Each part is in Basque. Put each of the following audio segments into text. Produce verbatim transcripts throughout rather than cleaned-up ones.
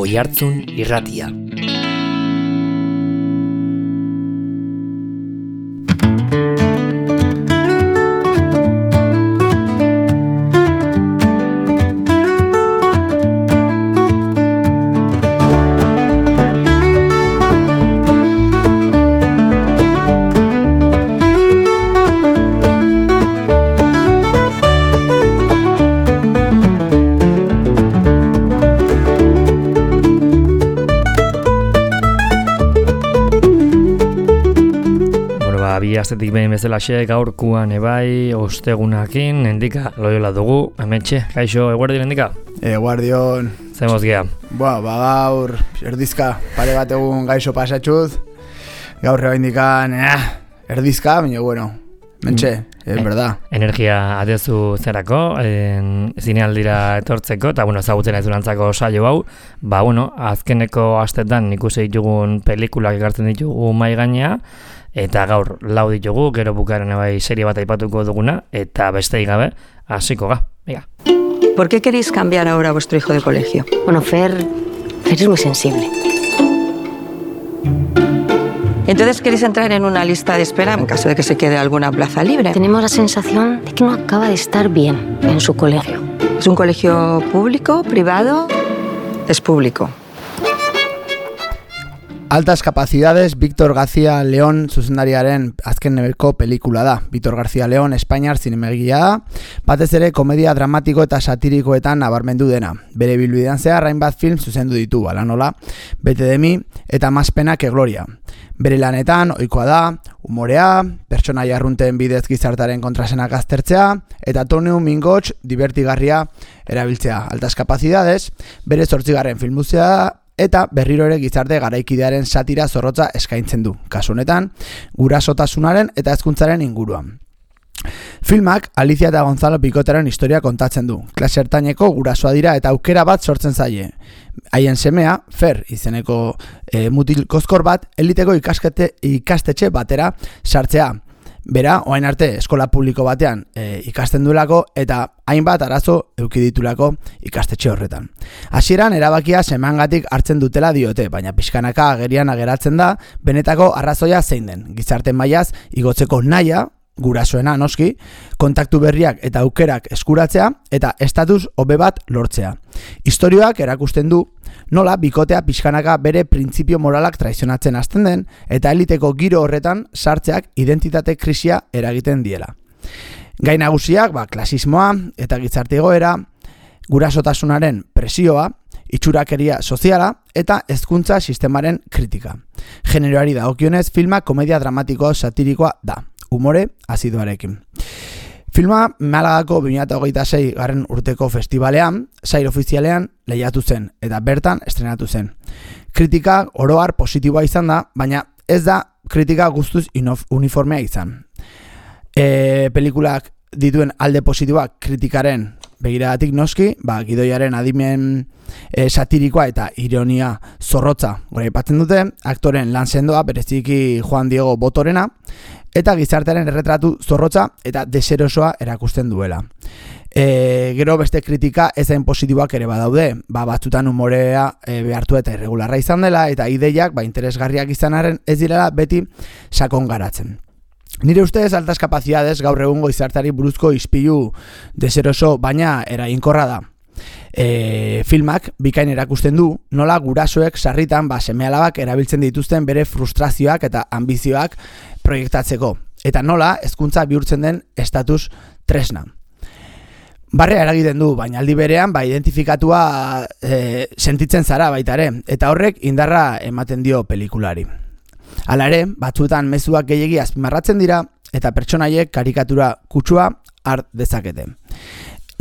Oihartzun Irratia. Astetik behin bezalaxe gaurkuan ebai ostegunakin Endika Loyola dugu, hementxe, kaixo, eguardion Endika? Eguardion. Zemoz gea? Ba, ba gaur, erdizka, pare bat egun gaixo pasatxuz, gaur eba indikan, eh, erdizka, baina bueno, mentxe, es en, verdad. Energia adezu zerako, en, zinealdira etortzeko, eta bueno, ezagutzen ez durantzako saio hau, ba bueno, azkeneko astetan ikusi ditugun pelikulak ekartzen ditugu mai gainea, eta gaur lau ditugu, gero bukaren bai serie bat aipatuko duguna, eta besteik gabe, hasiko ga. Venga. ¿Por qué queréis cambiar ahora a vuestro hijo de colegio? Bueno, Fer, Fer es muy sensible. Entonces, ¿queréis entrar en una lista de espera en caso de que se quede alguna plaza libre? Tenemos la sensación de que no acaba de estar bien en su colegio. ¿Es un colegio público, privado? Es público. Altas capacidades, Víctor García León zuzendariaren azken nebeko pelikula da. Víctor García León Espainiar zinemegia da, batez ere komedia dramatiko eta satirikoetan nabarmendu dena. Bere bilbidean zehar hainbat film zuzendu ditu, ala nola, Bete de mi eta Más pena que gloria. Bere lanetan ohikoa da, umorea, pertsonaia arrunten bidez gizartaren kontrasenak aztertzea, eta tonu mingots divertigarria erabiltzea. Altas capacidades, bere zortzigarren filmuzea da, eta berriro ere gizarte garaikidearen satira zorrotza eskaintzen du, kasu honetan, gurasotasunaren eta hezkuntzaren inguruan. Filmak Alicia eta Gonzalo Pikotaren historia kontatzen du. Klase ertaineko gurasoa dira eta aukera bat sortzen zaie. Haien semea, Fer izeneko e, mutil kozkor bat, eliteko ikaskete, ikastetxe batera sartzea. Bera, orain arte eskola publiko batean e, ikasten duelako eta hainbat arazo eduki ditulako ikastetxe horretan. Hasieran erabakia semeangatik hartzen dutela diote, baina pixkanaka agerian ageratzen da benetako arrazoia zein den. Gizarte mailaz igotzeko nahia, gurasoena noski, kontaktu berriak eta aukerak eskuratzea eta estatus hobe bat lortzea. Istorioak erakusten du nola bikotea pixkanaka bere printzipio moralak traizionatzen hasten den eta eliteko giro horretan sartzeak identitate krisia eragiten diela. Gai nagusiak, ba, klasismoa eta gizarte egoera, gurasotasunaren presioa, itxurakeria soziala eta hezkuntza sistemaren kritika. Generoari dagokionez, filma komedia dramatiko satirikoa da, umore azidoarekin. Filma Malagako bi mila hogeita sei garren urteko festivalean, sail ofizialean lehiatu zen eta bertan estrenatu zen. Kritika oroar positiboa izan da, baina ez da kritika guztuz uniformea izan. E, pelikulak dituen alde positiboak kritikaren begiradatik noski, ba, gidoiaren adimen e, satirikoa eta ironia zorrotza goraipatzen dute, aktoren lan sendoa bereziki Juan Diego Botorena, eta gizartearen erretratu zorrotza eta deserosoa erakusten duela. E, gero beste kritika ezain positiboak ere badaude, ba, batzutan umorea e, behartu eta irregularra izan dela, eta ideiak ba, interesgarriak izanaren ez direla beti sakon garatzen. Nire ustez altas capacidades gaur egungo gizarteari buruzko ispilu deseroso baina eraginkorra da. E, filmak bikain erakusten du nola gurasoek sarritan ba, seme-alabak erabiltzen dituzten bere frustrazioak eta ambizioak proiektatzeko, eta nola hezkuntza bihurtzen den estatus tresna. Barrea eragiten du, baina aldi berean ba, identifikatua e, sentitzen zara baita ere, eta horrek indarra ematen dio pelikulari. Hala ere, batzuetan mezuak gehiegi azpimarratzen dira eta pertsonaiek karikatura kutsua har dezakete.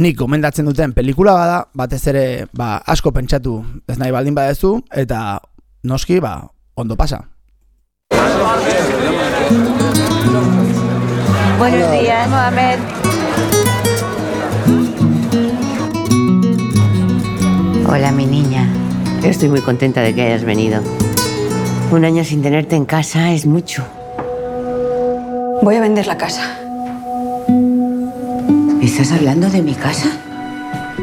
Nik gomendatzen duten pelikula bada, batez ere ba, asko pentsatu ez nahi baldin badezu eta noski ba, ondo pasa. Buenos días, Mohamed. Hola, mi niña. Estoy muy contenta de que hayas venido. Un año sin tenerte en casa es mucho. Voy a vender la casa. ¿Estás hablando de mi casa?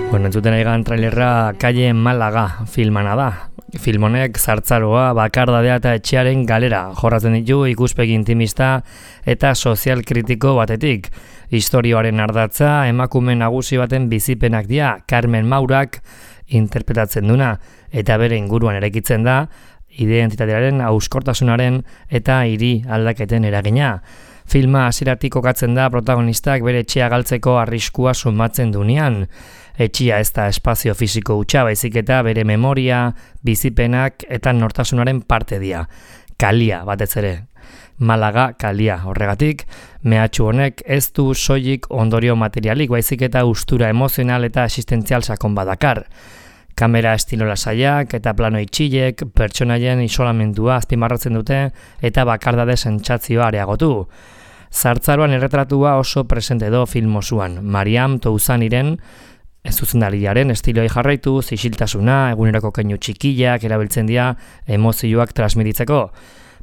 Bueno, entzuten egan trailerra Calle Malaga filmana da. Film honek zartzaroa, bakardadea eta etxearen galera jorratzen ditu ikuspegi intimista eta sozial kritiko batetik. Historioaren ardatza emakume nagusi baten bizipenak dira Carmen Maurak interpretatzen duna eta bere inguruan eraikitzen da identitatearen hauskortasunaren eta hiri aldaketen eragina. Filma hasieratik kokatzen da protagonistak bere etxea galtzeko arriskua sumatzen dunean. Etxia ez da espazio fisiko hutsa, baizik eta bere memoria, bizipenak eta nortasunaren parte dira. Kalia batez ere. Malaga kalia horregatik, mehatxu honek ez du soilik ondorio materialik, baizik eta ustura emozional eta existentzial sakon badakar. Kamera estilo lasaiak eta plano itxilek pertsonaien isolamendua azpimarratzen dute eta bakardade sentsazioa areagotu. Zartzaroan erretratua oso presente do film osoan. Mariam Touzaniren zuzendariaren estiloei jarraitu, isiltasuna, eguneroko keinu txikiak erabiltzen dira emozioak transmititzeko.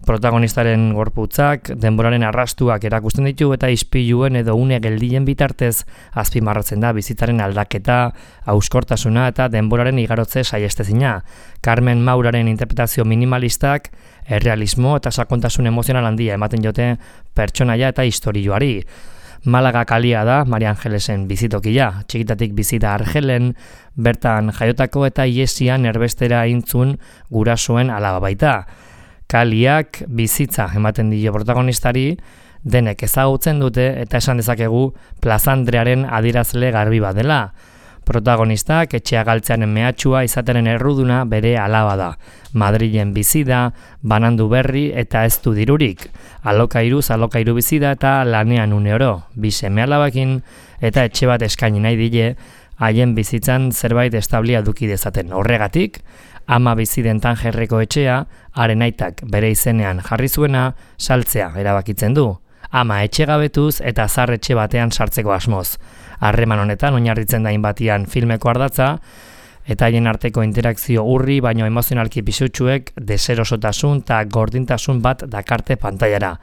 Protagonistaren gorputzak, denboraren arrastuak erakusten ditu eta ispiluen edo une geldien bitartez azpimarratzen da bizitzaren aldaketa, hauskortasuna eta denboraren igarotze saiestezina. Carmen Mauraren interpretazio minimalistak, errealismo eta sakontasun emozional handia ematen jote pertsonaia eta istorioari. Malaga kalia da Maria Angelesen bizitokia, txikitatik bizita Argelen, bertan jaiotako eta iesian erbestera intzun gurasoen alaba baita. Kaliak bizitza ematen dio protagonistari, denek ezagutzen dute eta esan dezakegu plazandrearen adierazle garbi bat dela. Protagonistak etxea galtzearen mehatxua izateren erruduna bere alaba da. Madrilen bizi da, banandu berri eta ez du dirurik. Alokairuz alokairu bizi da eta lanean une oro. Bi seme alabakin eta etxe bat eskaini nahi dile, haien bizitzan zerbait establia duki dezaten. Horregatik, ama bizi den Tangerreko etxea, haren aitak bere izenean jarri zuena, saltzea erabakitzen du. Ama etxegabetuz eta zar etxe batean sartzeko asmoz. Harreman honetan oinarritzen da hainbatian filmeko ardatza, eta haien arteko interakzio urri baino emozionalki pisutsuek deserosotasun eta gordintasun bat dakarte pantailara.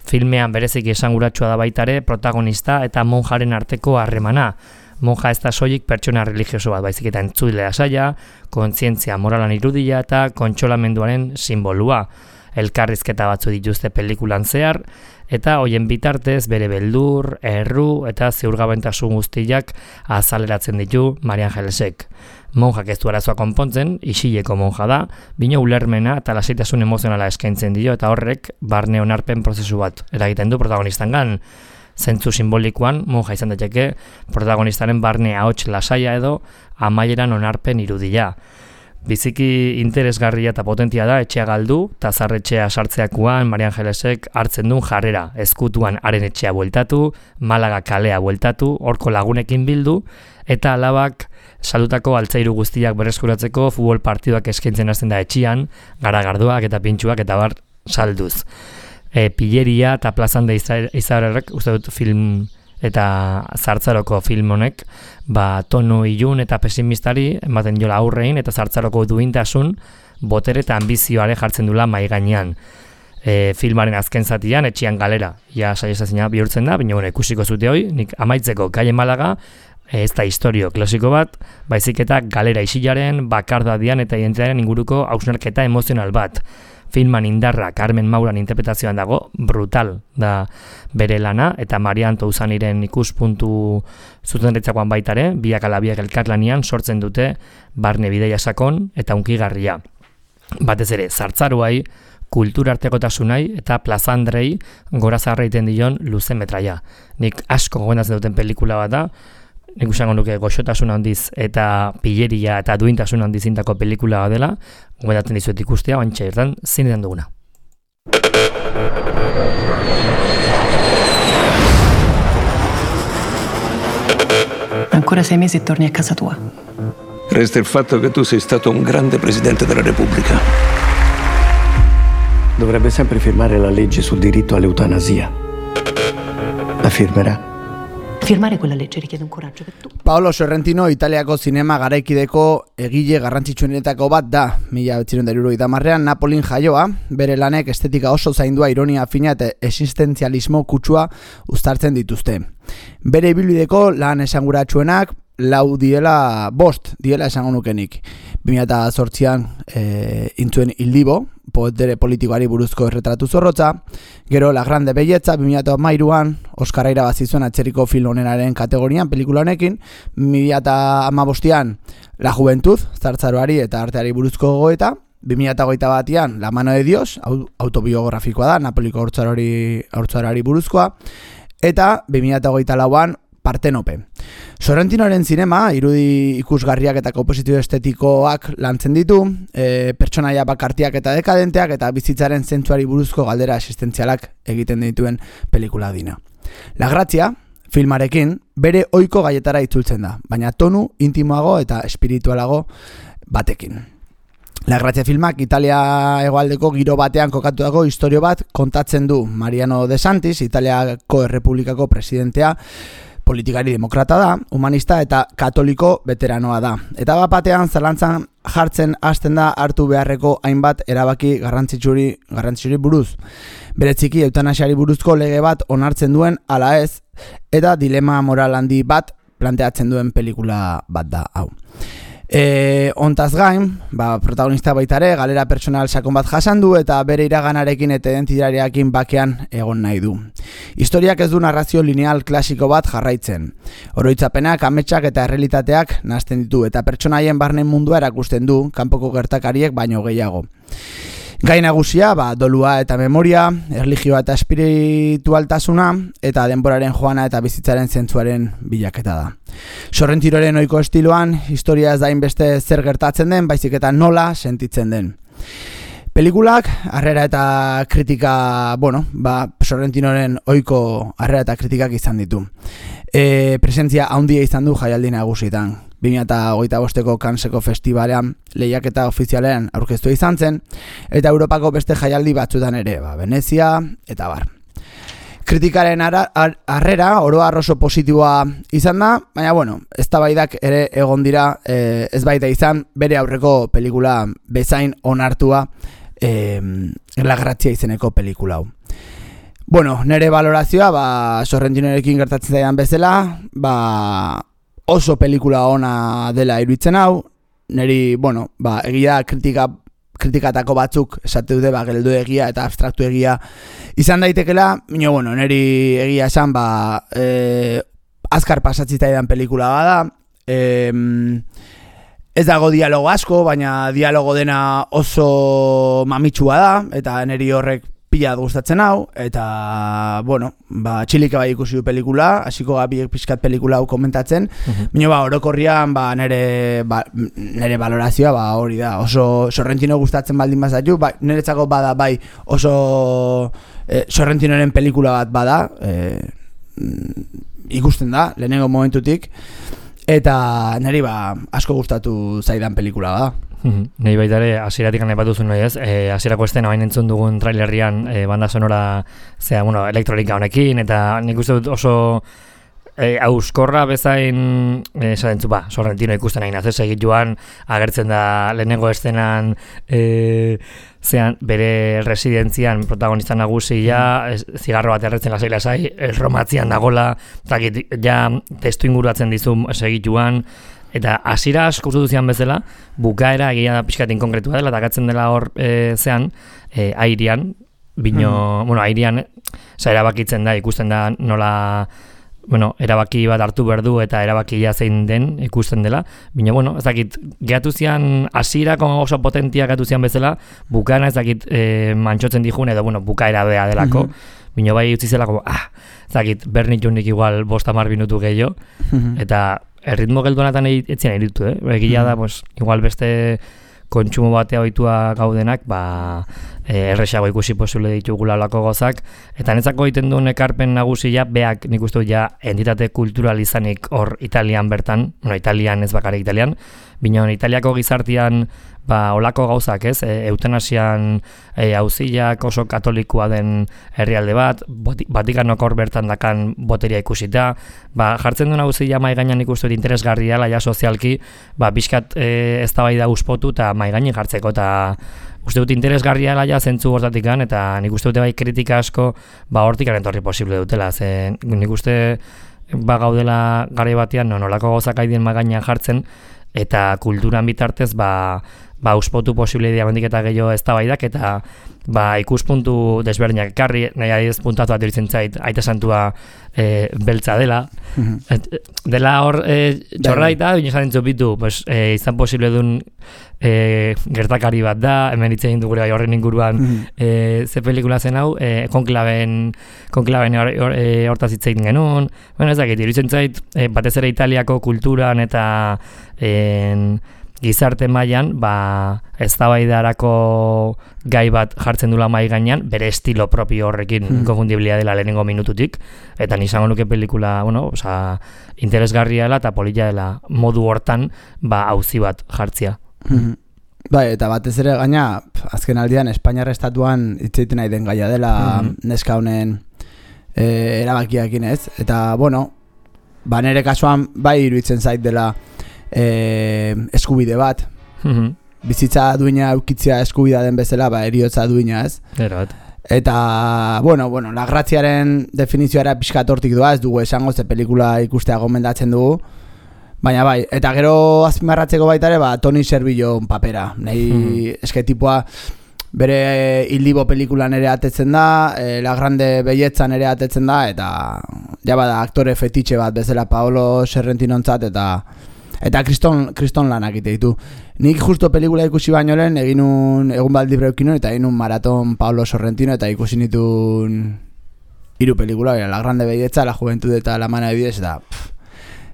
Filmean bereziki esanguratsua da baitare protagonista eta monjaren arteko harremana. Monja ez da soilik pertsona religioso bat, baizik eta entzuilea saia, kontzientzia moralan irudia eta kontsolamenduaren simbolua. Elkarrizketa batzu dituzte pelikulan zehar, eta hoien bitartez bere beldur, erru eta ziurgabentasun guztiak azaleratzen ditu Maria Angelesek. Monjak ez du arazoa konpontzen, isileko monja da, bino ulermena eta lasaitasun emozionala eskaintzen dio eta horrek barne onarpen prozesu bat eragiten du protagonistangan. Zentzu simbolikoan, monja izan daiteke protagonistaren barne ahots lasaia edo amaieran onarpen irudia. Biziki interesgarria eta potentia da etxea galdu, eta zarretxea sartzeakuan Maria Angelesek hartzen duen jarrera, ezkutuan haren etxea bueltatu, Malaga kalea bueltatu, horko lagunekin bildu, eta alabak salutako altzairu guztiak berreskuratzeko futbol partiduak eskaintzen hasten da etxian, garagardoak eta pintxuak eta bar salduz. E, Pilleria eta plazande izarrek, uste dut film eta zartzaroko film honek, ba, tono ilun eta pesimistari ematen jola aurrein eta zartzaroko duintasun, botere eta ambizioare jartzen dula mai gainean. E, filmaren azken zatian, etxian galera, ja saiestazina bihurtzen da, baina bueno, ikusiko zute hoi, nik amaitzeko Calle Malaga, ez da historio klasiko bat, baizik eta galera isilaren, bakardadian eta identitatearen inguruko hausnarketa emozional bat. Filman indarra Carmen Mauran interpretazioan dago, brutal da bere lana, eta Marian Touzaniren ikuspuntu zuzenretzakoan baitare, biak ala biak elkarlanian sortzen dute barne bideia sakon eta unkigarria. Batez ere, zartzaruai, kulturartekotasunai eta plazandrei gora zarreiten dion luze metraia. Nik asko gomendatzen duten pelikula bat da, nik usango nuke goxotasun handiz eta pilleria eta duintasun handiz intako pelikula bat dela, gomendatzen dizuet ikustea, bantxa irtan zinetan duguna. Ancora sei mesi e torni a casa tua. Resta il fatto che tu sei stato un grande presidente della Repubblica. Dovrebbe sempre firmare la legge sul diritto all'eutanasia. La firmerà? Firmare quella legge richiede un coraggio che tu... Paolo Sorrentino Italiako zinema garaikideko egile garrantzitsuenetako bat da. Mila bederatziehun eta hirurogeita hamarrean Napolin jaioa, bere lanek estetika oso zaindua, ironia fina eta existentzialismo kutsua uztartzen dituzte. Bere ibilbideko lan esanguratsuenak lau diela, bost diela esango nukenik. bi mila zortzian e, intzuen Ildibo, poetere politikoari buruzko erretratu zorrotza, gero La Grande Belleza bi mila hamairuan Oskarra irabazi zuen atzerriko film onenaren kategorian pelikula honekin, bi mila hamabostean La Juventud, zartzaroari eta arteari buruzko gogoeta, bi mila hogeita batean La Mano de Dios, autobiografikoa da, Napoliko haurtzarari buruzkoa, eta bi mila hogeita lauan Partenope. Sorrentinoren zinema, irudi ikusgarriak eta komposizio estetikoak lantzen ditu, e, pertsonaia bakartiak eta dekadenteak eta bizitzaren zentzuari buruzko galdera existentzialak egiten dituen pelikula dina. La Grazia, filmarekin, bere ohiko gaietara itzultzen da, baina tonu intimoago eta espiritualago batekin. La Grazia filmak Italia hegoaldeko giro batean kokatutako istorio bat kontatzen du. Mariano De Santis, Italiako Errepublikako presidentea, politikari demokrata da, humanista eta katoliko veteranoa da. Eta bat batean zalantzan jartzen hasten da hartu beharreko hainbat erabaki garrantzitsuri, garrantzitsuri buruz. Bereziki eutanasiari buruzko lege bat onartzen duen ala ez, eta dilema moral handi bat planteatzen duen pelikula bat da hau. E, ontaz gain, ba, protagonista baitare, galera personal sakon bat jasan du eta bere iraganarekin eta identitatearekin bakean egon nahi du. Historiak ez du narrazio lineal klasiko bat jarraitzen. Oroitzapenak, ametsak eta errealitateak nahasten ditu eta pertsonaien barne mundua erakusten du, kanpoko gertakariek baino gehiago. Gai nagusia, ba, dolua eta memoria, erlijioa eta espiritualtasuna, eta denboraren joana eta bizitzaren zentzuaren bilaketa da. Sorrentiroren ohiko estiloan, historia ez da inbeste zer gertatzen den, baizik eta nola sentitzen den. Pelikulak, harrera eta kritika, bueno, ba, Sorrentinoren ohiko harrera eta kritikak izan ditu. E, presentzia handia izan du jaialdi nagusitan. bi mila hogeita bosteko Canneseko festivalean lehiaketa ofizialean aurkeztua izan zen, eta Europako beste jaialdi batzutan ere, ba, Venezia eta bar. Kritikaren harrera oro har oso positiboa izan da, baina bueno, eztabaidak ere egon dira, e, ez baita izan bere aurreko pelikula bezain onartua, e, La Grazia izeneko pelikula hau. Bueno, nire valorazioa, ba, Sorrentinorekin gertatzen zaidan bezala, ba, oso pelikula ona dela iruditzen hau, niri, bueno, ba, egia kritika, kritikatako batzuk esate dute, ba, geldo egia eta abstraktu egia izan daitekela, baina, bueno, niri egia esan, ba, e, azkar pasatzitaidan pelikula bada, e, ez dago dialogo asko, baina dialogo dena oso mamitsua da, eta niri horrek pila gustatzen hau, eta, bueno, ba, txilika bai ikusi du pelikula, hasiko gabiek pixkat pelikula hau komentatzen, uh-huh. Baina, ba, orokorrian, ba, nere, ba, nere valorazioa, ba, hori da, oso Sorrentino gustatzen baldin bazaitu, ba, niretzako bada, bai, oso eh, Sorrentinoren pelikula bat bada, eh, ikusten da, lehenengo momentutik, eta niri, ba, asko gustatu zaidan pelikula bada. Nei baita ere, hasieratik aipatu zuen nahi ez, e, hasierako estena bain entzun dugun trailerrian e, banda sonora, zera, bueno, elektronika honekin, eta nik uste dut oso e, auskorra bezain, esaten zu, ba, Sorrentino ikusten nahi nazez, egit joan, agertzen da lehenengo estenan, e, zean, bere residentzian protagonista nagusia, mm. zigarro bat erretzen lasai lasai, erromatzian dagola, zakit, ja testu inguratzen dizu segit joan, eta hasiera asko uste duzian bezala, bukaera egia da pixkatin konkretua dela, eta gatzen dela hor e, zean, e, airean, bino, mm. bueno, airean, za erabakitzen da, ikusten da nola, bueno, erabaki bat hartu behar du eta erabakia zein den ikusten dela, bino, bueno, ez dakit, gehatu zian, hasierako oso potentia gehatu zian bezala, bukaera ez dakit e, mantxotzen dijun, edo, bueno, bukaera bea delako, mm-hmm. Bino bai utzi zelako, ah, ez dakit, bernitunik igual bost hamar minutu gehiago, mm-hmm. eta erritmo gelduanatan etzien eritu, eh? Egia da, pues, igual beste kontsumo batea ohitua gaudenak, ba, e, erresago ikusi posible ditugula olako gozak, eta netzako egiten duen ekarpen nagusia, beak nik uste ja entitate kultural izanik hor Italian bertan, bueno, Italian ez bakarrik Italian, binon Italiako gizartian, ba, olako gauzak ez, e, eutanasian e, auziak oso katolikoa den herrialde bat, Vatikanok hor bertan dakan boteria ikusita, ba, jartzen duen auzia mai gainean ikustu interesgarria laia sozialki, ba, bizkat e, eztabaida uspotu eta mai gainean jartzeko, eta uste dut interesgarria laia zentzu hortatikan, eta nik uste dute bai kritika asko, ba, hortikan entorri posible dutela, ze nik uste ba gaudela garai batean no, nolako gauzak aidien magainan jartzen, eta kulturan bitartez ba ba uspotu posible diamandik eta gehiago eztabaidak eta ba ikuspuntu desberdinak ekarri, nahi adiz puntatu bat diritzen zait, Aita Santua e, beltza dela. Mm-hmm. Et, dela hor e, txorraita, bine esan dintzu bitu, pues, e, izan posible duen e, gertakari bat da, hemen hitz egin dugure horren inguruan mm-hmm. e, ze pelikula zen hau, e, konklaben, konklaben or, or, e, hortaz hitz egin genuen, bueno, ez dakit, diritzen zait, e, batez ere Italiako kulturan eta en, gizarte mailan ba eztabaidarako gai bat jartzen dula mai gainean, bere estilo propio horrekin mm. inkonfundiblea dela lehenengo minututik, eta ni izango nuke pelikula, bueno, osea, interesgarria dela eta polita dela modu hortan ba auzi bat jartzea. Mm-hmm. Bai, eta batez ere gaina azken aldian Espainiar estatuan hitz egiten nahi den gaia dela mm-hmm. neska honen e, erabakiakin, ez? Eta bueno, ba nere kasuan bai iruditzen zait dela E, eskubide bat mm-hmm. bizitza duina eukitzea eskubidea den bezala ba eriotza duina, ez? Erat. Eta bueno, bueno, la graziaren definizioa pixkat hortik doa, ez dugu esango ze pelikula ikustea gomendatzen dugu, baina bai, eta gero azpimarratzeko baita ere ba Toni Servillo papera, nahi mm-hmm. eske tipoa bere Ildibo pelikulan ere atetzen da, e, La Grande Belletzan ere atetzen da, eta ja bada aktore fetitxe bat bezala Paolo Sorrentinontzat, eta eta kriston, kriston lanak ite ditu. Nik justo pelikula ikusi baino lehen egin un egun bat libre eukin eta egin un maraton Paolo Sorrentino eta ikusi nituen hiru pelikula, La Grande Belletza, La Juventud eta La Mano de Bidez, eta pff,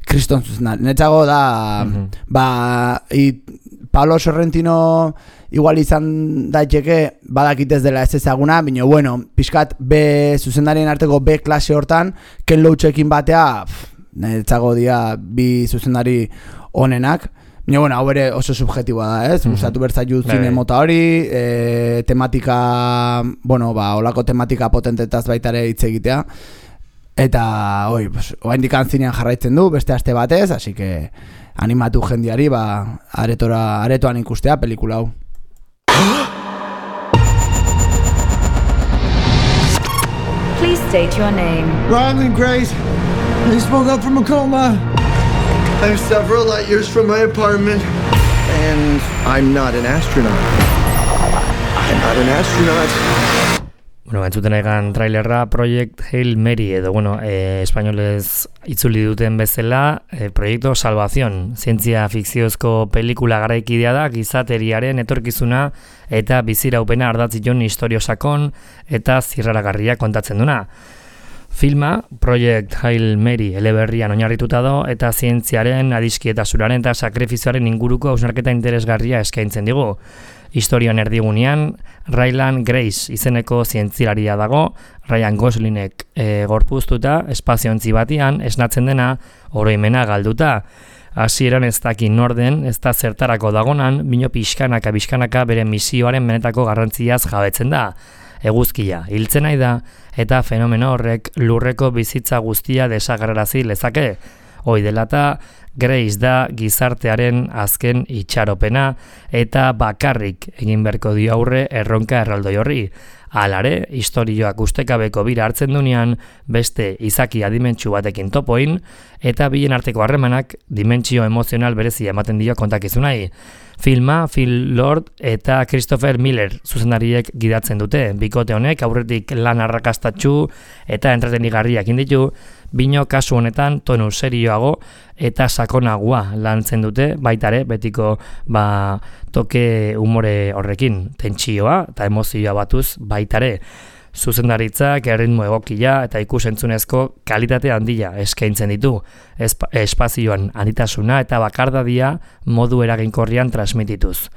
kriston zuzena. Netzago da, mm-hmm. ba, i, Paolo Sorrentino igual izan daiteke badakitez dela ez ezaguna, baina bueno, pixkat B zuzendarien arteko B klase hortan, Ken Loachekin batea, pff, netzago dia bi zuzendari onenak, baina bueno, hau ere oso subjetiboa da, ez? Mm-hmm. Gustatu bertzaiu zine mota hori, e, tematika, bueno, ba, olako tematika potentetaz baita ere hitz egitea, eta oi, pues, oraindik zinean jarraitzen du, beste aste batez, así que animatu jendiari, ba, aretora, aretoan ikustea pelikula hau. Please state your name. Ryland Grace. I spoke up from a coma. I'm several light years from my apartment. And I'm not an astronaut. I'm not an astronaut. Bueno, entzuten egan trailerra Project Hail Mary, edo, bueno, eh, espainolez itzuli duten bezala, eh, Proyecto Salvación, zientzia fikziozko pelikula garaikidea da, gizateriaren etorkizuna eta biziraupena ardatzion istorio sakon eta zirraragarria kontatzen duna. Filma, Project Hail Mary eleberrian oinarrituta do eta zientziaren, adiskietasunaren eta sakrifizioaren inguruko hausnarketa interesgarria eskaintzen digu. Historian erdigunean, Ryland Grace izeneko zientzilaria dago, Ryan Goslingek e, gorpuztuta, espaziontzi batian, esnatzen dena, oroimena galduta. Hasieran ez dakin norden, ez da zertarako dagonan, bino pixkanaka pixkanaka bere misioaren benetako garrantziaz jabetzen da. Eguzkia, hiltzen nahi da, eta fenomeno horrek lurreko bizitza guztia desagerrarazi lezake. Hoi dela eta Grace da gizartearen azken itxaropena eta bakarrik egin beharko dio aurre erronka erraldoi horri. Alare, historioak ustekabeko bira hartzen dunean beste izaki adimentsu batekin topoin eta bilen arteko harremanak dimentsio emozional berezia ematen dio kontakizunai. Filma, Phil Lord eta Christopher Miller zuzendariek gidatzen dute. Bikote honek aurretik lan arrakastatsu eta entretenigarriak inditu, bino kasu honetan tonu serioago eta sakonagoa lantzen dute, baitare betiko ba, toke umore horrekin, tentsioa eta emozioa batuz baitare. Zuzendaritzak erritmo egokia eta ikusentzunezko kalitate handia eskaintzen ditu, Espa, espazioan handitasuna eta bakardadia modu eraginkorrian transmitituz.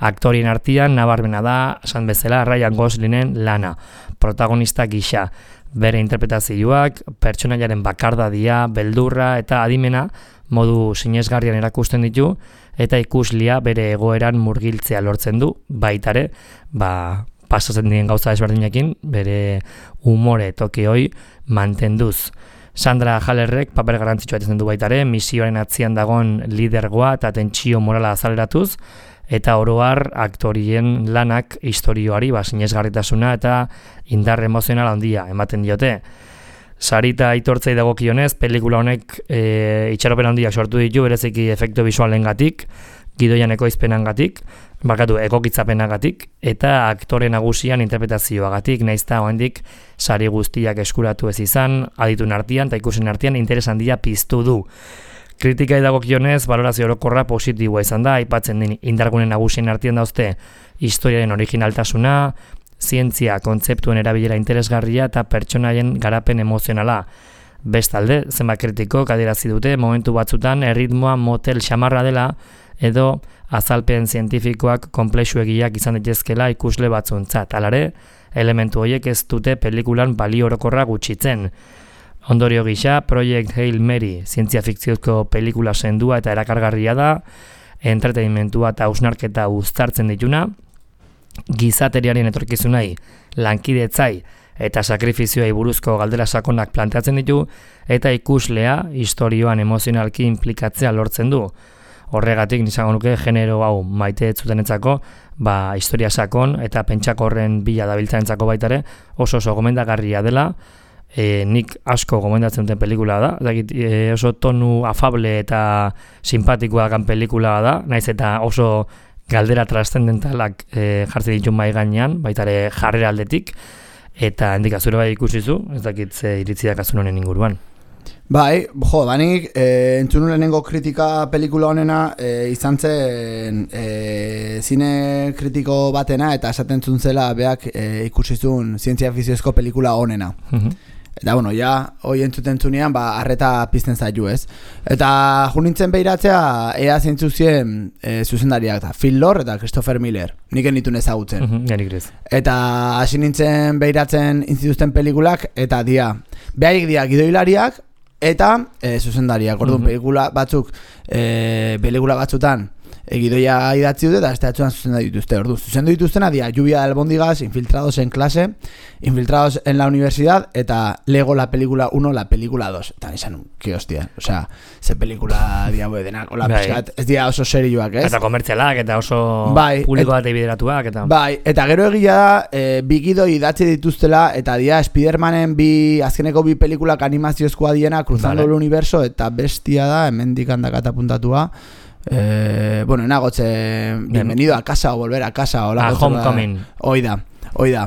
Aktorien artean nabarmena da, esan bezala, Ryan Goslingen lana, protagonista gisa, bere interpretazioak, pertsonaiaren bakardadia, beldurra eta adimena modu sinesgarrian erakusten ditu, eta ikuslia bere egoeran murgiltzea lortzen du, baitare, ba, pasatzen dien gauza ezberdinekin, bere umore toki hoi mantenduz. Sandra Hallerrek paper garrantzitsua etzen du baitare, misioaren atzian dagon lidergoa eta tentsio morala azaleratuz, eta oroar aktorien lanak historioari ba, sinesgarritasuna eta indar emozional handia ematen diote. Sarita aitortzei dagokionez, pelikula honek e, itxaropen handiak sortu ditu, bereziki efektu bisualengatik, gidoian ekoizpenangatik, bakatu egokitzapenagatik, eta aktore nagusian interpretazioagatik, naizta oraindik sari guztiak eskuratu ez izan, adituen artean eta ikusen artean interes handia piztu du. Kritikai dagokionez, balorazio orokorra positiboa izan da, aipatzen den indargune nagusien artean dauzte historiaren originaltasuna, zientzia kontzeptuen erabilera interesgarria eta pertsonaien garapen emozionala. Bestalde, zenbat kritikok adierazi dute momentu batzutan erritmoa motel xamarra dela edo azalpen zientifikoak konplexuegiak izan daitezkela ikusle batzuntzat. Halare, elementu horiek ez dute pelikulan balio orokorra gutxitzen. Ondorio gisa, Project Hail Mary zientzia fikziozko pelikula sendua eta erakargarria da, entretenimentua eta hausnarketa uztartzen dituna, gizateriaren etorkizunai, lankidetzai eta sakrifizioei buruzko galdera sakonak planteatzen ditu, eta ikuslea historioan emozionalki implikatzea lortzen du. Horregatik, nizango nuke, genero hau maite zutenetzako, ba, historia sakon eta pentsakorren bila dabiltzaentzako baitare oso oso gomendagarria dela, e, nik asko gomendatzen duten pelikula da, dakit, e, oso tonu afable eta simpatikoa gan pelikula da, naiz eta oso galdera trascendentalak e, jartzen ditu mai gainean, baitare jarrera aldetik, eta hendik azure bai ikusizu, ez dakit ze iritzi dakazun honen inguruan. Bai, jo, danik, e, entzun lehenengo kritika pelikula honena e, izan zen e, zine kritiko batena eta esaten zuntzela beak e, ikusizun zientzia fiziozko pelikula honena. Uh-huh. Eta, bueno, ja, hoi entzuten zunean, ba, arreta pizten zaitu, ez? Eta junintzen behiratzea, ea zintzuzien e, zuzendariak da, Phil Lord eta Christopher Miller, nik enitun ezagutzen. Uh-huh, janik grez. Eta hasi nintzen behiratzen intzituzten pelikulak, eta dia, behaik dia gidoilariak, eta e, zuzendariak, orduan, uh-huh. pelikula batzuk, e, pelikula batzutan, egidoia idatzi dute eta esteatzuan zuzendu dituzte. Ordu, zuzendu dituztena dia Lluvia de albóndigas, Infiltrados en clase, Infiltrados en la universidad eta Lego la película uno, la película dos. Eta nizan, que hostia, o sea, ze pelikula dia bue denak, hola pizkat, ez dia oso serioak, ez? Eta komertzialak, eta oso bai, publiko bat ebideratuak, eta... Bai, eta gero egia da, e, bi gidoi idatzi dituztela, eta dia Spidermanen bi, azkeneko bi pelikulak animaziozkoa diena, Cruzando vale. el Universo, eta bestia da, hemendik handakat apuntatua, Eh, bueno, enagotze bienvenido a casa o volver a casa o la Homecoming. Hoi da, hoi da.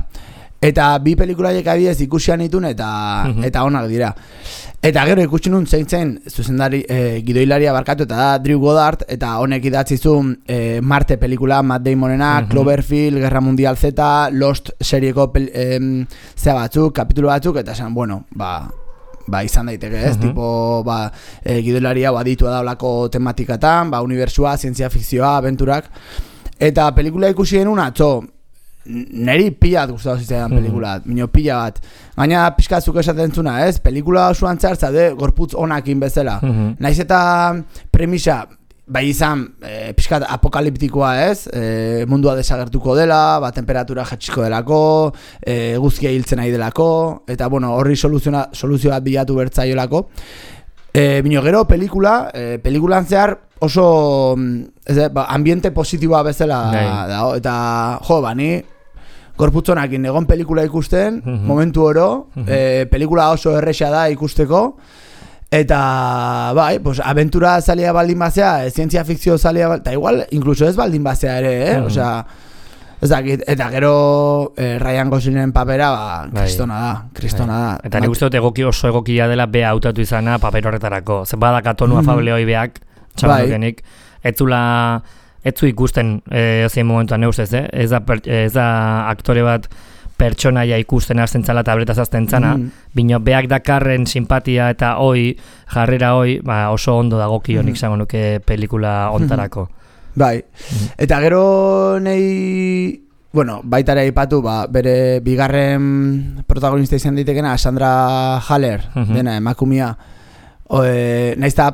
Eta bi pelikulaiek adibidez ikusian itun eta uh-huh. eta onak dira. Eta gero ikusi nun zein zen zuzendari eh, gidoilaria barkatu eta da Drew Goddard eta honek idatzi zuen eh, Marte pelikula Matt Damonena, uh-huh. Cloverfield, Guerra Mundial Z, Lost serieko pel, eh, zea batzuk, kapitulu batzuk eta esan, bueno, ba ba izan daiteke, ez? Uh-huh. Tipo, ba, e, gidoilaria baditua da olako tematikatan, ba, unibertsua, zientzia fikzioa, abenturak. Eta pelikula ikusi genuen atzo, neri pila bat gustatu zitzaidan pelikula, uh-huh. minio pila bat. Gaina pixkatzuk esaten zuna, ez? Pelikula osoan txartza, de, gorputz onakin bezala. Uh-huh. Naiz eta premisa, bai izan, e, pixkat apokaliptikoa, ez? E, mundua desagertuko dela, ba, temperatura jatxiko delako, e, guzkia hiltzen nahi delako, eta, bueno, horri soluzio bat bilatu bertzaiolako. E, bino gero, pelikula, e, pelikulan zehar oso, ez, ba, ambiente positiboa bezala da, eta, jo, bani, gorputzonakin egon pelikula ikusten, uh-huh. momentu oro, uh-huh. e, pelikula oso erresa da ikusteko, eta, bai, pues, aventura zalia baldin bazea, e, zientzia fikzio zalia, eta igual, incluso ez baldin bazea ere, eh? Mm. Osea, ez dakit, eta gero eh, Ryan Goslingen papera, ba, kristona da, kristona da. Eta nik uste dut egoki oso egokia dela bea hautatu izana paper horretarako. Zer badaka tonu mm. afable hoi beak, txamandukenik, ez zula, ez zu ikusten eh, ezin momentuan neustez, eh? Ez da, ez da aktore bat pertsonaia ikusten hasten zala tabletaz hasten zana, mm. bino beak dakarren simpatia eta hoi, jarrera hoi, ba, oso ondo dagokio nik zango nuke pelikula ontarako. Bai, mm. eta gero nei, bueno, baitare aipatu, ba, bere bigarren protagonista izan ditekena, Sandra Haller, mm-hmm. dena, emakumia, o, e, nahiz da,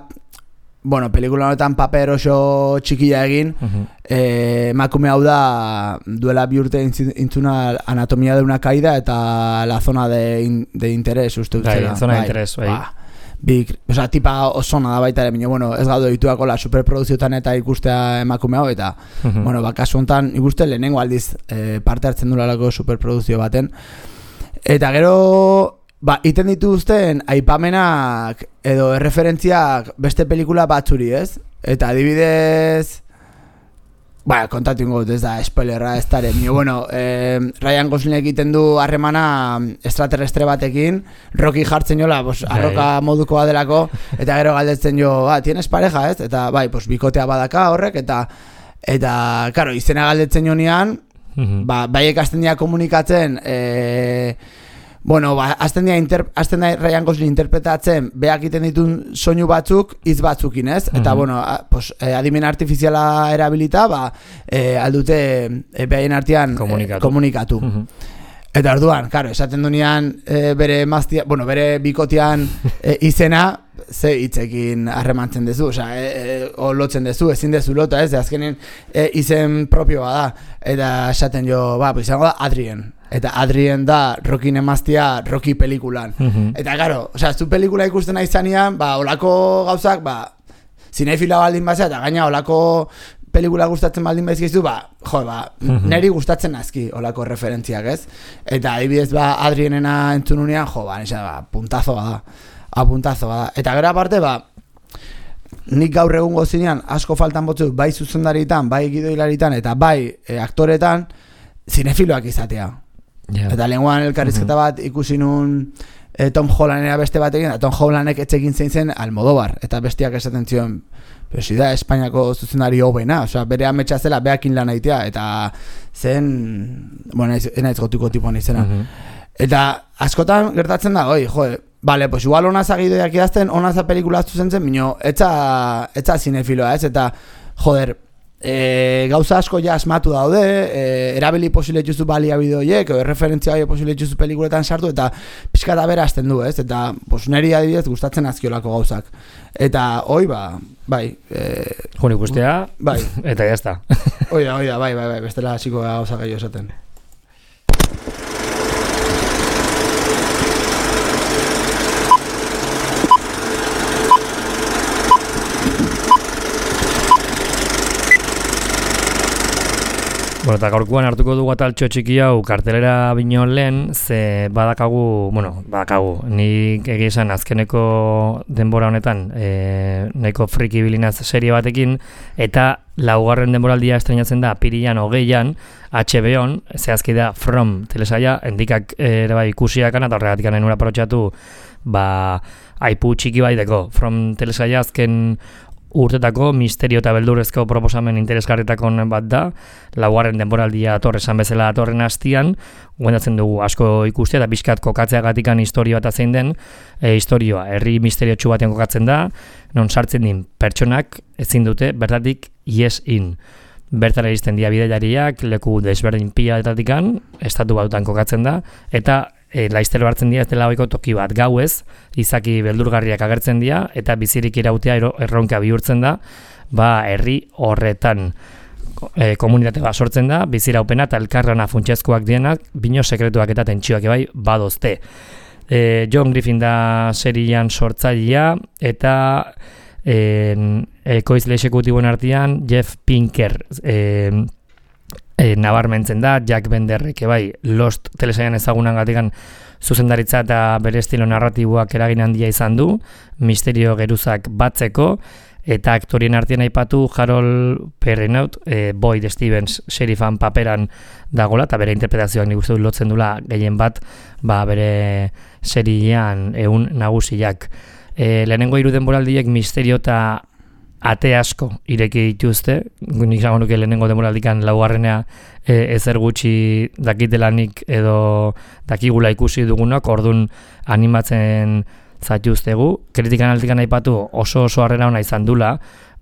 bueno, pelikula honetan paper oso txikia egin, uh-huh. eh, emakume hau da duela bi urte intzuna Anatomía de una caída eta la zona de, in, de interés, uste utzela. Bai, zona de interés, bai. Ba, big, oza, tipa osona da baita ere, minio, bueno, ez gaudo dituako la superproduziotan eta ikustea emakume hau, eta, uh-huh. bueno, bakasu honetan ikuste lehenengo aldiz eh, parte hartzen dulalako superproduzio baten. Eta gero, ba, iten dituzten aipamenak edo erreferentziak beste pelikula batzuri, ez? Eta adibidez, ba, kontatu ingo dut, ez da, spoilerra, ez dara, bueno, eh, Ryan Gosling egiten du harremana extraterrestre batekin, Rocky jartzen jola, pues, arroka modukoa delako, eta gero galdetzen jo, ba, tienes pareja, ez? Eta, bai, pues, bikotea badaka horrek, eta, eta, karo, izena galdetzen jonean, ba, bai ekasten dira komunikatzen, eh, bueno, ba, azten dira, inter, azten dira Ryan Gosling interpretatzen, beak iten ditun soinu batzuk, hitz batzukin, ez? Eta, uh-huh. bueno, a, pues, eh, adimen artifiziala erabilita, ba, eh, aldute eh, behaien artean komunikatu. Eh, komunikatu. Uh-huh. Eta orduan, karo, esaten dunean eh, bere maztia, bueno, bere bikotean eh, izena, ze hitzekin harremantzen dezu, osea, e, e, o lotzen dezu, ezin dezu lota, ez, azkenen e, izen propioa da, eta esaten jo, ba, pues izango da Adrien, eta Adrien da Rockin emaztia Rocky pelikulan, mm-hmm. eta karo, osea, zu pelikula ikusten nahi zanean, ba, olako gauzak, ba, zinefila baldin bazea, eta gaina olako pelikula gustatzen baldin baizkizu, ba, jo, ba, mm-hmm. neri gustatzen azki olako referentziak, ez, eta adibidez, ba, Adrienena entzununean, jo, ba, nisa, ba, puntazoa da, apuntazo da. Eta gero aparte, ba, nik gaur egun gozinean asko faltan botzuk, bai zuzendaritan, bai gidoilaritan, eta bai e, aktoretan, zinefiloak izatea. Yeah. Eta lenguan elkarrizketa mm-hmm. bat ikusi nun e, Tom Hollandera beste batekin, eta Tom Hollandek etxekin zein zen Almodóvar, eta bestiak esaten zion, pero si da Espainiako zuzendari hobena, osea, bere ametsa zela, beakin lan aitea, eta zen, bueno, ez naiz gotiko tipuan izena. Mm-hmm. Eta askotan gertatzen da, oi, joe, vale, pues igual onaza gidoiak idazten, onaza pelikula zuzen zen, minio, etza, etza zinefiloa, ez? Eta, joder, e, gauza asko ja asmatu daude, e, erabili posile juzu balia bideoiek, o referentzia bai posile juzu pelikuletan sartu, eta pixka da bera azten du, ez? Eta, pues neri adibidez gustatzen azkiolako gauzak. Eta, oi, ba, bai. E, Juni guztia, bai. Eta jazta. Oida, oida, bai, bai, bai, bestela hasiko gauza gehiago esaten. Bueno, eta gaurkoan hartuko dugu ataltxo txiki hau kartelera bino lehen, ze badakagu, bueno, badakagu, nik egia esan azkeneko denbora honetan e, nahiko friki bilinaz serie batekin, eta laugarren denboraldia estrenatzen da apirilan hogeian, H B On, zehazki da From telesaia, endikak ere bai ikusiakan, eta horregatik nahi nura parotxatu, ba, aipu txiki baiteko. From telesaia azken urtetako misterio eta beldurrezko proposamen interesgarritako bat da, laugarren denboraldia ator esan bezala atorren hastian, guendatzen dugu asko ikustea eta pixkat kokatzeagatikan historio bat zein den, e, historioa, herri misteriotsu batean kokatzen da, non sartzen din pertsonak ezin dute bertatik yes in. Bertara iristen dira bidaiariak, leku desberdin pilatatikan, estatu batutan kokatzen da, eta E, laiztero hartzen dira ez dela ohiko toki bat gauez, izaki beldurgarriak agertzen dira eta bizirik irautea erronka bihurtzen da, ba herri horretan e, komunitate bat sortzen da, biziraupena eta elkarrana funtsezkoak dienak, bino sekretuak eta tentsioak ebai badozte. E, John Griffin da serian sortzailea eta e, ekoizle exekutiboen artean Jeff Pinker e, E, nabarmentzen da, Jack Benderrek bai Lost telesaian ezagunan gatikan zuzendaritza eta bere estilo narratiboak eragin handia izan du, misterio geruzak batzeko, eta aktorien artean aipatu Harold Perrineau, e, Boyd Stevens sheriffan paperan dagola, eta bere interpretazioak nik uste dut lotzen dula gehien bat, ba, bere seriean egun nagusiak. E, lehenengo hiru denboraldiek misterio eta ate asko ireki dituzte, nik zango nuke lehenengo demoraldikan laugarrenea e, ezer gutxi dakitelanik edo dakigula ikusi dugunak, orduan animatzen zaituztegu. Kritikan aldikan aipatu oso oso harrera ona izan dula,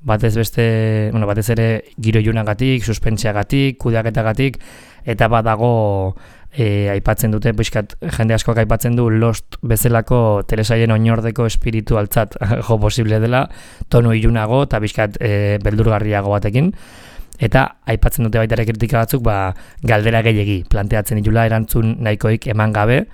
batez beste, bueno, batez ere giro ilunagatik, suspentziagatik, kudeaketagatik, eta badago e, aipatzen dute, pixkat jende askoak aipatzen du Lost bezalako telesaien oinordeko espiritualtzat jo posible dela, tonu ilunago eta pixkat e, beldurgarriago batekin. Eta aipatzen dute baita ere kritika batzuk, ba, galdera gehiegi planteatzen ditula erantzun nahikoik eman gabe,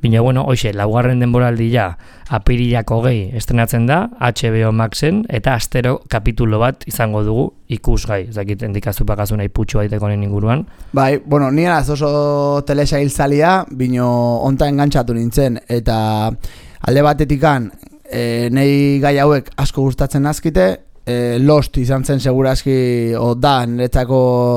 Bina, bueno, hoxe, laugarren denboraldia apirilak hogei estrenatzen da, H B O Maxen, eta astero kapitulo bat izango dugu ikusgai. Ez dakit, endikazupakazu nahi putxu baiteko nen inguruan. Bai, bueno, nien az oso telesail zalia, bino onta engantzatu nintzen, eta alde batetikan, e, nei gai hauek asko gustatzen nazkite, e, Lost izan zen segurazki, o da, niretzako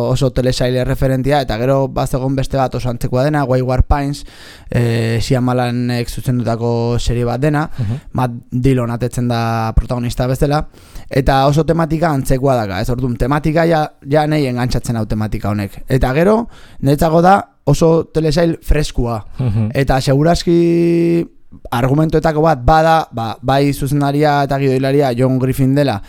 oso telesaile referentia, eta gero bazegon beste bat oso antzekoa dena, Wayward Pines, e, Shyamalanek zuzendutako serie bat dena, uh-huh. Matt Dillon atetzen da protagonista bezala, eta oso tematika antzekoa daka, ez orduan, tematika ja, ja nahi engantzatzen hau tematika honek. Eta gero, niretzako da oso telesail freskua, uh-huh. eta segurazki argumentoetako bat bada, ba, bai zuzendaria eta gidoilaria John Griffin dela,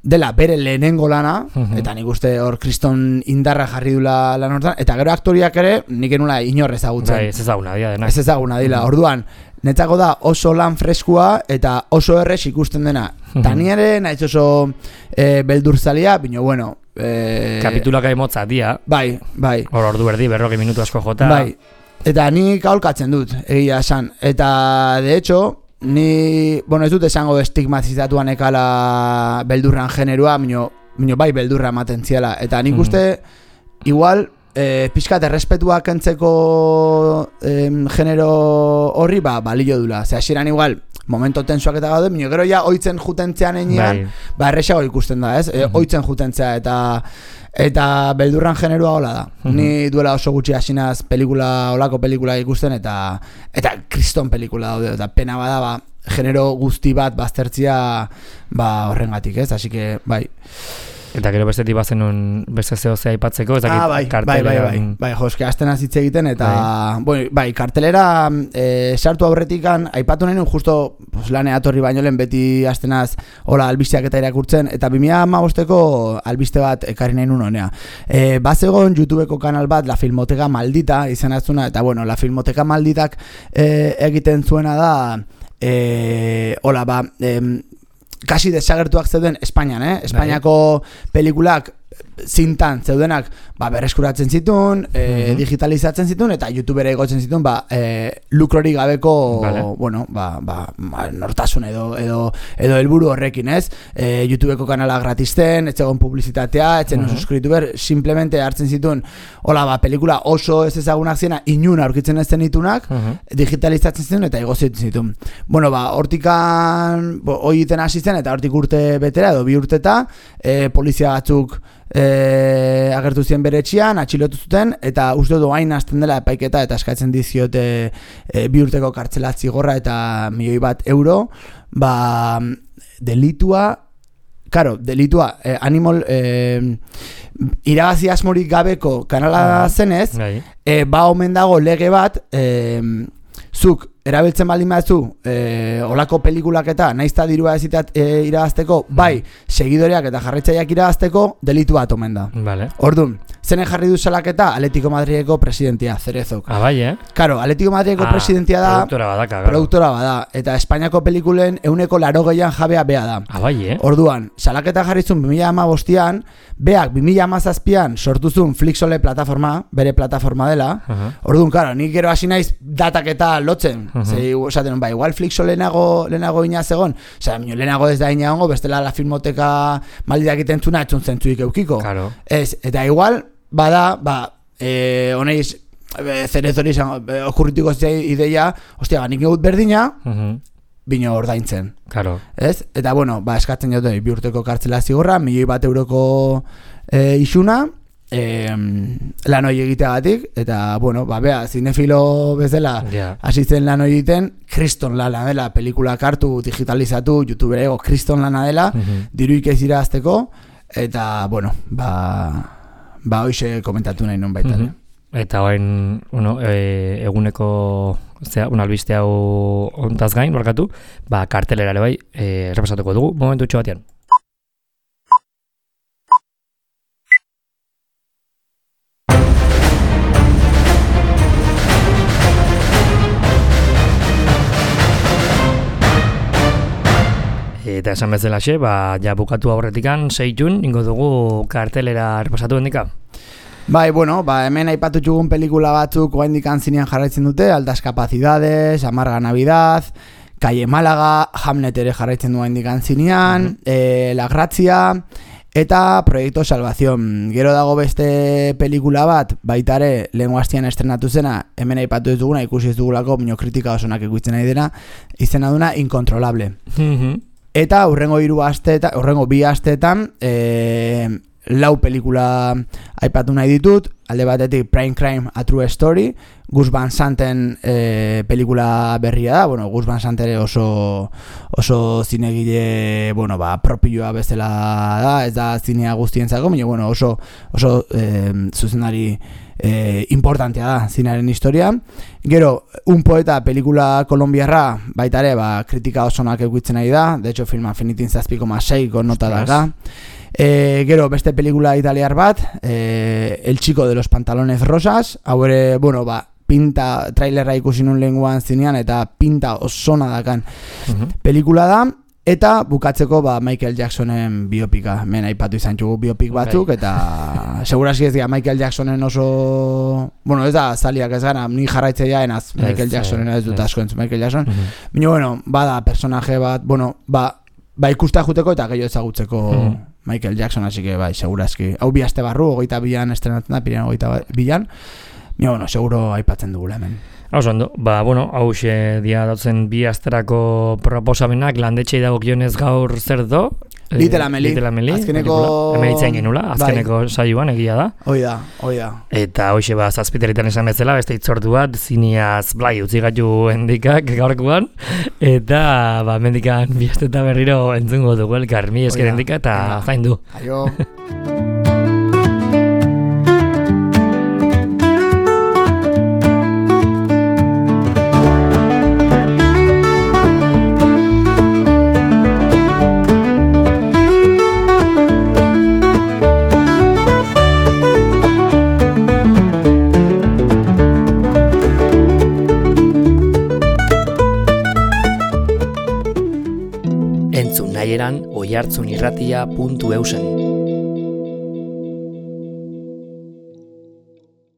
dela bere lehenengo lana, uh-huh. eta nik uste hor kriston indarra jarri dula lan hortan, eta gero aktoriak ere nik enula inor ezagutzen. Bai, ez ezaguna dira dena. Ez ezaguna dira, uh-huh. Orduan, netzako da oso lan freskua eta oso errez ikusten dena. Uh-huh. Ta ni ere naiz oso e, beldurzalia, bino bueno... E, kapitulak aimotza dia. Bai, bai. Hor ordu erdi, berrogi minutu asko jota. Bai, eta nik aholkatzen dut, egia esan. Eta, de hecho... Ni, bueno, ez dut esango estigmatizatuan ekala beldurran generua, minio, minio bai beldurra ematen ziala. Eta nik uste, mm. igual, e, pixkat errespetua kentzeko e, genero horri, ba, balio dula. Zer, hasieran igual, momento tensuak eta gaude, minio, gero ja oitzen jutentzean enean, bai. Ba, erresago ikusten da, ez? E, mm-hmm. Oitzen jutentzea eta... Eta beldurran generua hola da. Mm-hmm. Ni duela oso gutxi hasinaz pelikula, olako pelikula ikusten, eta eta kriston pelikula daude, eta pena bada, ba, genero guzti bat baztertzia ba, horrengatik, ez? Así que, bai. Eta gero bestetik bazenun beste zehozea aipatzeko, ez dakit ah, bai, kartelera... Bai, bai, bai, bai, joske, azten azitze egiten, eta, bai, bueno, bai kartelera e, sartu aurretikan, aipatu nahi nun, justo pues, lanea torri baino lehen beti aztenaz, hola, albisteak eta irakurtzen, eta bi mila hamabosteko albiste bat ekarri nahi nun honea. E, Bazegon YouTubeko kanal bat, La Filmoteka Maldita, izan azuna, eta bueno, La Filmoteka Malditak e, egiten zuena da, e, hola, ba, e, kasi desagertuak zeuden Espainian, eh? Espainiako pelikulak zintan zeudenak ba, berreskuratzen zituen, e, mm-hmm. digitalizatzen zituen, eta YouTubera igotzen zituen ba, e, lukrori gabeko vale. bueno, ba, ba, ba, nortasun edo edo edo helburu horrekin, ez? E, YouTubeko kanala gratisten, etzegon publizitatea, etzen mm-hmm. subscriber, simplemente hartzen zituen, hola, ba, pelikula oso ez ezagunak ziena, inun aurkitzen ez zenitunak, mm-hmm. digitalizatzen zituen, eta igotzen zituen. Bueno, ba, hortikan hori iten hasi zen, eta hortik urte betera, edo bi urteta, e, polizia batzuk E, agertu ziren bere etxean, atxilotu zuten, eta uste du hain hasten dela epaiketa, eta eskatzen diziote e, bi urteko kartzela zigorra eta milioi bat euro, ba, delitua, karo, delitua, e, animal, e, irabazi asmorik gabeko kanala zenez, e, ba omen dago lege bat, e, zuk, erabiltzen baldin baduzu, e, olako pelikulak eta naizta dirua ezitat e, irabazteko, bai, segidoreak eta jarraitzaileak irabazteko, delitu bat omen da. Vale. Orduan, zenen jarri du salaketa Atletico Madrideko presidentia, Cerezok. Ah, bai, eh? Karo, Atletico Madrideko ah, presidentia da, produktora badaka, garo. Produktora bada, eta Espainiako pelikulen euneko laro gehian jabea bea da. Ah, bai, eh? Orduan, salaketa jarrizun bi mila hamabostean, beak bi mila hamazazpian sortuzun Flixole plataforma, bere plataforma dela. Uh-huh. Orduan, karo, nik gero hasi naiz dataketa lotzen. Uh-huh. Zei, esaten, ba, igual Flixo lehenago, lehenago inaz egon, oza, lehenago ez da inagongo, bestela La Filmoteka Malditak itentzuna, etzun zentzuik eukiko. Claro. Ez, eta igual, bada, ba, e, honeiz, e, Cerezori e, okurritiko zei ideia, ostia, nik egut berdina, uh-huh. bino ordaintzen. Claro. Ez? Eta, bueno, ba, eskatzen jote, bi urteko kartzela zigorra, milioi bat euroko e, isuna, E, lan hori egiteagatik, eta, bueno, ba, bea, zinefilo bezala yeah. Asitzen lan hori egiten, kriston lana dela, pelikulak hartu, digitalizatu, YouTubera ego, kriston lana dela, mm-hmm. diruik ez irazteko, eta, bueno, ba, ba, hoxe komentatu nahi non baita. Mm-hmm. Eta hain, bueno, e, eguneko, zera, un albiste hau ontaz gain, barkatu, ba, kartelera ere bai, e, repasatuko dugu, momentu txo batean. Eta esan bezalaxe, ba, ja bukatu aurretikan, sei jun, ingo dugu kartelera repasatu hendika? Bai, bueno, ba, hemen aipatu txugun pelikula batzuk oraindik zinean jarraitzen dute, Altas Capacidades, Amarga Navidad, Calle Málaga, Hamlet ere jarraitzen du oraindik zinean, uh-huh. eh, La Grazia eta Proyecto Salvación. Gero dago beste pelikula bat, baitare lehengo astean estrenatu zena, hemen aipatu ez duguna, ikusi ez dugulako, minio kritika osonak ikusten nahi dena, izena duna Incontrolable. Uh-huh. Eta urrengo hiru asteetan, urrengo bi asteetan, eh, lau pelikula aipatu nahi ditut, alde batetik Prime Crime, A True Story, Gus Van Santen e, pelikula berria da, bueno, Gus Van Sant ere oso, oso zinegile, bueno, ba, propioa bezala da, ez da zinea guztientzako, baina, bueno, oso, oso e, zuzenari e, importantea da zinearen historia. Gero, Un Poeta pelikula kolombiarra, baita ere, ba, kritika osonak eukitzen nahi da, de hecho, filma finitin zazpi koma seiko nota daka. E, gero, beste pelikula italiar bat, e, El Chico de los Pantalones Rosas, hau ere, bueno, ba, pinta, trailerra ikusi nun lenguan zinean, eta pinta osona dakan uh-huh. pelikula da, eta bukatzeko, ba, Michael Jacksonen biopika, men aipatu izan txugu biopik batzuk, eta seguraski ez dira Michael Jacksonen oso, bueno, ez da, zaliak ez gara, ni jarraitzea enaz, Michael Jacksonen ez dut asko entzu, Michael Jackson, uh-huh. Bino, bueno, bada, personaje bat, bueno, ba, ba ikusta juteko eta gehiago ezagutzeko uh-huh. Michael Jackson, así que bai, segurazki. Hau bi aste barru, hogeita bian estrenatzen da, pirean hogeita bian. Mira, bueno, seguro aipatzen dugula hemen. Hau zondo, ba, bueno, hau xe dia dautzen bi asterako proposamenak, landetxei dagokionez gaur zer do? Little Amelie. Little Amelie. Azkeneko... Hemen itzain genula, azkeneko bai. Saioan egia da. Hoi da, hoi da. Eta hoxe ba, zazpiterritan esan bezala, beste itzortu bat, zineaz blai utzi gaitu hendikak gaurkoan, eta ba, mendikan bi asteta berriro entzungo dugu elkar, mi esker hendika eta zain du. Aio. Oihartzunirratia puntu eusen